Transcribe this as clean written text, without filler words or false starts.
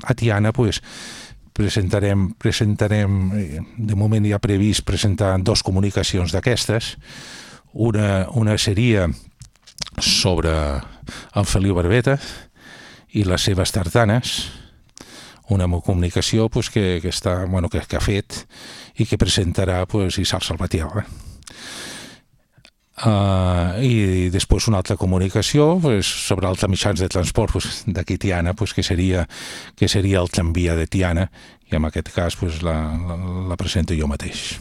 a Tiana pues, presentarem, de moment ja previst presentar 2 comunicacions d'aquestes. Una seria sobre en Feliu Barbeta i les seves tartanes, una comunicació pues, que ha fet i que presentarà pues, Isar Salvatierra. I després una altra comunicació pues, sobre altres mitjans de transport pues, d'aquí Tiana, pues, que seria el tramvia de Tiana, i en aquest cas pues, la presento jo mateix.